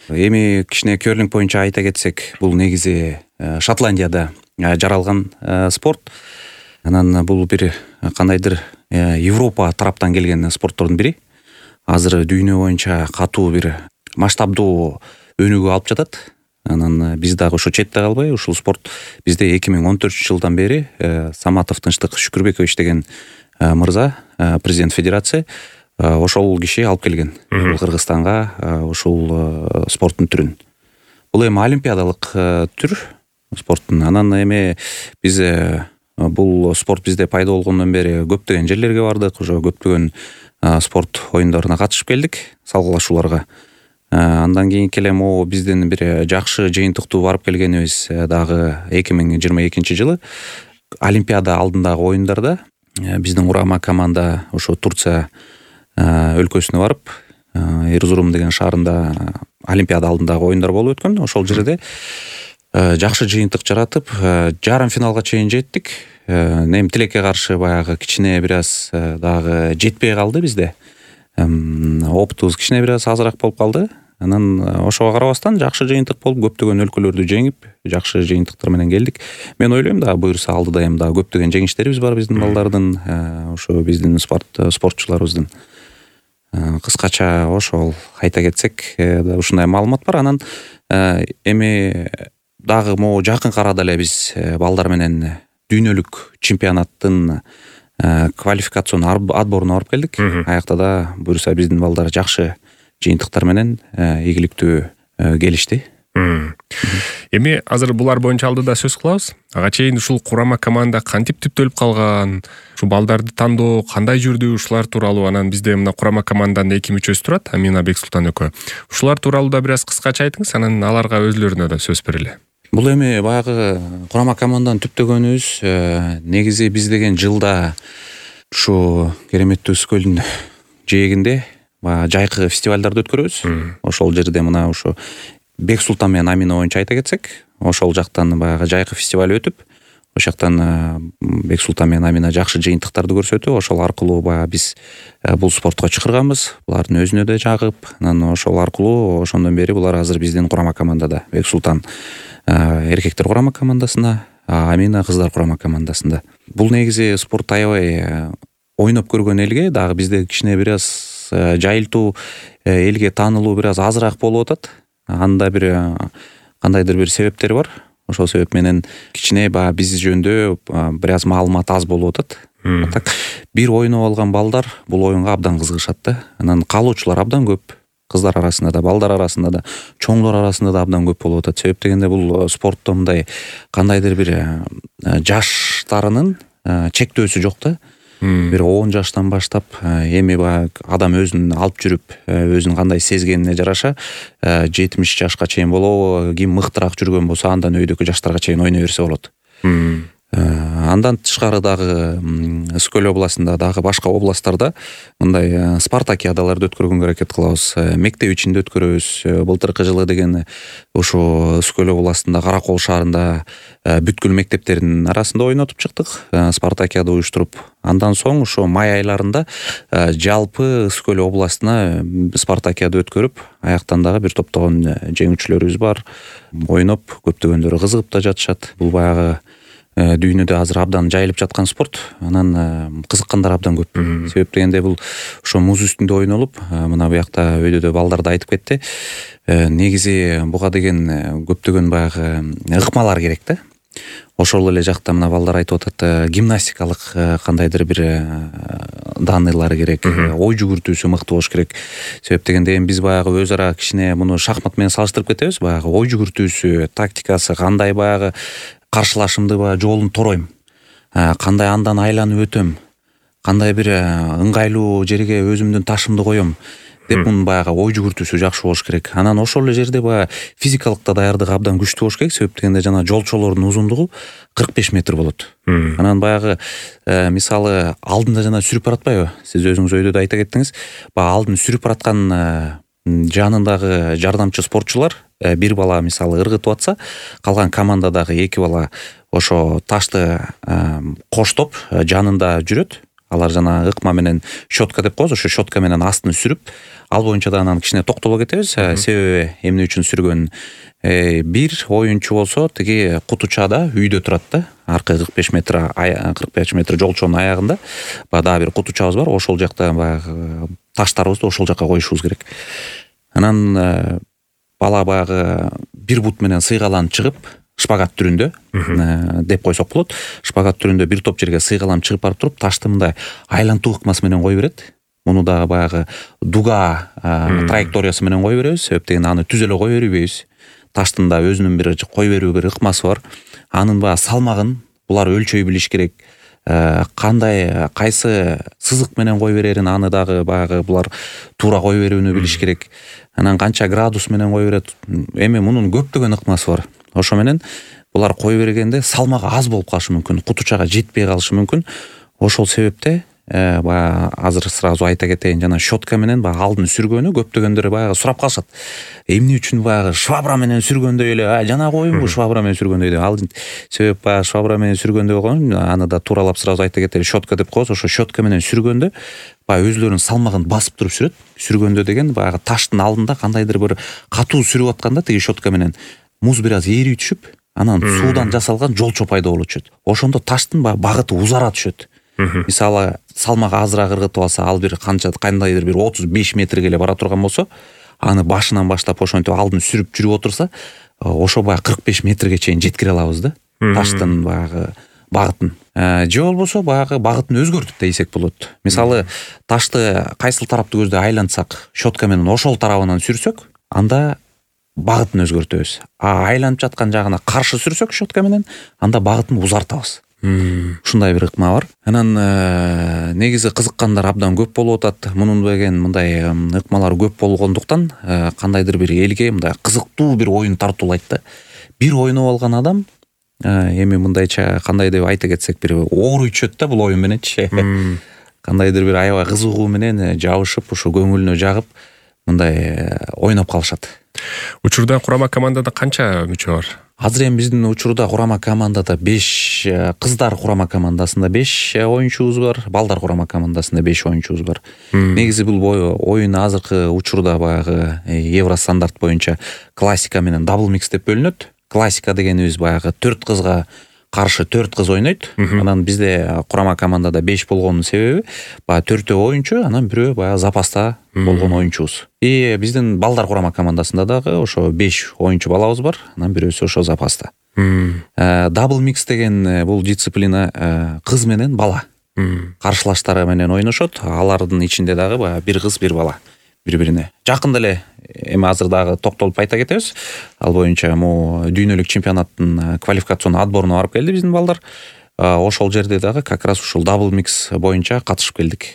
Эми кичине керлинг боюнча айта кетсек, бул негизи Шотландияда жаралган спорт. Анан бул бир кандайдыр Европа тараптан келген спорттордун бири. Азыр дүйнө боюнча катуу бир масштабдуу өнүгүү алып жатат. Анан биз дагы ошо четте калбай, ушул спорт бизде 2014-жылдан бери Саматов Тынчтык Шүкүрбекович деген мырза, президент федерация, ошол киши алып келген Кыргызстанга ушул спорттун түрүн. Бул эми олимпиадалык түр спорттун. Анан эми биз бул спорт бизде пайда болгондон бери көптөгөн жерлерге бардык, ошо көптөгөн спорт оюндарына катышып келдик, салгылашууларга. Андан кийин келе могу биздин бир жакшы жыйынтыктуу барып келгенибиз дагы 2022-жылы олимпиада алдындагы оюндарда биздин курама команда ошо Турция өлкөсүнө барып, Эрзурум деген шаарында олимпиада алдындагы оюндар болуп өткөн. Ошол жерде жакшы жыйынтык жаратып, жарым финалга чейин жеттик. Эми тилекке каршы баягы кичине бир аз дагы жетпей калды бизде. Опытыбыз кичине бир аз азыраак болуп калды. Анан ошого карабастан жакшы жыйынтык болуп, көптөгөн өлкөлөрдү жеңип, жакшы жыйынтыктар менен келдик. Мен ойлойм да буюрса алдыда эми дагы көптөгөн жеңиштерибиз бар биздин балдардын, ошо биздин спортчуларыбыздын. Кыскача ошол айта кетсек, ушундай маалымат бар. Анан эми дагы могу жакын арада эле биз балдар менен дүйнөлүк чемпионаттын квалификацион отборуна барып келдик. Аякта да буюрса биздин балдар жакшы жыйынтыктар менен ийгиликтүү келишти. Эми азыр булар боюнча алдыда сөз кылабыз. Ага чейин ушул курама команда кантип түптөлүп калган, ушу балдарды тандоо кандай жүрдү, ушулар тууралуу. Анан бизде мына курама команданын 2 мүчөсү турат, Амина Бексултан экөө. Ушулар тууралуу да бир аз кыскача айтыңыз, анан аларга өзлөрүнө да сөз берели. Бул эми баягы курама команданы түптөгөнүбүз негизи биз деген жылда ушу кереметтүү Үс көлдүн жээгинде жайкы фестивалдарды өткөрөбүз. Ошол жерде мына ушу Бексултан менен Амина боюнча айта кетсек, ошол жактан баягы жайкы фестиваль өтүп, ошол жактан Бексултан менен Амина жакшы жыйынтыктарды көрсөтүп, ошол аркылуу баягы биз бул спортко чакырганбыз. Булардын өзүнө да жагып, анан ошол аркылуу ошондон бери булар азыр биздин курама командада. Бексултан эркектер курама командасында, Амина кыздар курама командасында. Бул негизи спорт аябай ойноп көргөн элге дагы бизде кичине бир аз жайылтуу, элге таанылуу бир аз азыраак болуп атат. Анда бир кандайдыр бир себептери бар. Ошол себеп менен кичине биз жөнүндө бир аз маалымат аз болуп атат. Так бир ойноп алган балдар бул оюнга абдан кызыгышат да. Анан каалоочулар абдан көп. Кыздар арасында да, балдар арасында да, чоңдор арасында да абдан көп болуп атат. Себеп дегенде бул спортто мындай кандайдыр бир жаштарынын чектөөсү жок да. Бир 10 жаштан баштап эми адам өзүн алып жүрүп, өзүн кандай сезгенине жараша 70 жашка чейин болобу, ким мыктыраак жүргөн болсо андан өйдөкү жаштарга чейин ойной берсе болот. Андан тышкары дагы Үс көл областында дагы башка областтарда мындай спартакиадаларды өткөргөнгө аракет кылабыз. Мектеп ичинде өткөрөбүз. Былтыркы жылы деген ошо Үс көл областында Каракол шаарында бүткүл мектептердин арасында ойнотуп чыктык, спартакиада уюштуруп. Андан соң ошо май айларында жалпы Үс көл областына спартакиада өткөрүп, аяктан дагы бир топтогон жеңүүчүлөрүбүз бар. Ойноп, көптөгөндөрү кызыгып да жатышат. Бул баягы дүйнөдө азыр абдан жайылып жаткан спорт. Анан кызыккандар абдан көп. Себеп дегенде бул ошо муз үстүндө ойнолуп, мына буякта өйдөдө балдар да айтып кетти. Негизи буга деген көптөгөн баягы ыкмалар керек да. Ошол эле жакта мына балдар айтып атат, гимнастикалык кандайдыр бир данылар керек, ой жүгүртүүсү мыкты болуш керек. Себеп дегенде эми биз баягы өз ара кичине муну шахмат менен салыштырып кетебиз. Баягы ой жүгүртүүсү, тактикасы кандай, баягы каршылашымды жолун торойм, кандай андан айланып өтөм, кандай бир ыңгайлуу жерге өзүмдүн ташымды коем деп мунун баягы ой жүгүртүүсү жакшы болуш керек. Анан ошол эле жерде баягы физикалык да даярдык абдан күчтүү болуш керек. Себеп дегенде жана жолчолордун узундугу 45 метр болот. Анан баягы мисалы алдында жана сүрүп баратпайбы? Сиз өзүңүз өйдөдө айта кеттиңиз. Баягы алдын сүрүп бараткан жанындагы жардамчы спортчулар бир бала мисалы ыргытып атса, калган командадагы 2 бала ошо ташты коштоп жанында жүрөт. алар жанагы ыкма менен щетка деп коебуз, ошо щетка менен астын сүрүп, ал боюнча да анан кичине токтоло кетебиз. Себеби эмне үчүн сүргөн, бир оюнчу болсо тиги кутучада үйдө турат да, аркы 45 метр жолчонун аягында баягы дагы бир кутучабыз бар, ошол жакта баягы таштарыбызды ошол жака коюшубуз керек. Анан бала баягы бир бут менен сыйгаланып чыгып, шпагат түрүндө деп койсок болот. Шпагат түрүндө бир топ жерге сыйгаланып чыгып барып туруп, ташты мындай айлантуу ыкмасы менен кое берет. Муну дагы баягы дуга траекториясы менен кое беребиз. Себеп дегенде аны түз эле кое бербейбиз. Таштын да өзүнүн бир кое берүү бир ыкмасы бар. Анын баягы салмагын булар өлчөй билиш керек. Кандай кайсы сызык менен кое берерин аны дагы баягы булар туура кое берүүнү билиш керек. Анан канча градус менен кое берет. Эми мунун көптөгөн ыкмасы бар. Ошо менен булар кое бергенде салмагы аз болуп калышы мүмкүн, кутучага жетпей калышы мүмкүн. Ошол себепте баягы азыр сразу айта кетейин, жана щетка менен баягы алдын сүргөнү көптөгөндөр баягы сурап калышат. Эмне үчүн баягы швабра менен сүргөндөй эле, жана коюңбу швабра менен сүргөндөй деп. Ал себеп баягы швабра менен сүргөндөй болгон, аны да тууралап сразу айта кетели, щетка деп коебуз. Ошо щетка менен сүргөндө баягы өзлөрүнүн салмагын басып туруп сүрөт. Сүргөндө деген баягы таштын алдында кандайдыр бир катуу сүрүп атканда тиги щетка менен муз бир аз ээри түшүп, анан суудан жасалган жолчо пайда болуп түшөт. Ошондо таштын багыты узара түшөт. Мисалы салмагы азыраак ыргытып алса, ал бир кандайдыр бир 35 метрге эле бара турган болсо, аны башынан баштап ошентип алдын сүрүп жүрүп отурса, ошо баягы 45 метрге чейин жеткире алабыз да. Таштын баягы багытын. Же болбосо баягы багытын өзгөртүп десек болот. Мисалы ташты кайсыл тарапты көздөй айлантсак, щетка менен ошол тарабынан сүрсөк, анда багытын өзгөртөбүз. Айланып жаткан жагына каршы сүрсөк щетка менен, анда багытын узартабыз. Ушундай бир ыкма бар. Анан негизи кызыккандар абдан көп болуп атат. Мунун деген мындай ыкмалар көп болгондуктан кандайдыр бир элге мындай кызыктуу бир оюн тартуулайт да. Бир ойноп алган адам эми мындайча кандай деп айта кетсек, бир ооруй түшөт да бул оюн мененчи. Кандайдыр бир аябай кызыгуу менен жабышып, ушу көңүлүнө жагып мындай ойноп калышат. Учурда курама командада канча мүчө бар? Азыр эми биздин учурда курама командада 5, кыздар курама командасында 5 оюнчубуз бар, балдар курама командасында 5 оюнчубуз бар. Негизи бул оюн азыркы учурда баягы евростандарт боюнча классика менен дабл микс деп бөлүнөт. Классика дегенибиз баягы 4 кызга каршы 4 кыз ойнойт. Анан бизде курама командада 5 болгонун себеби баягы 4 оюнчу, анан бирөө баягы запаста болгон оюнчубуз. Биздин балдар курама командасында дагы ошо 5 оюнчу балабыз бар, анан бирөөсү ошо запаста. Дабл микс деген бул дисциплина кыз менен бала каршылаштары менен ойношот. Алардын ичинде дагы баягы бир кыз, бир бала бири-бирине. Жакында эле эми азыр дагы токтолуп айта кетебиз. Ал боюнча дүйнөлүк чемпионаттын квалификацион отборуна барып келди биздин балдар. Ошол жерде дагы как раз ушул дабл микс боюнча катышып келдик.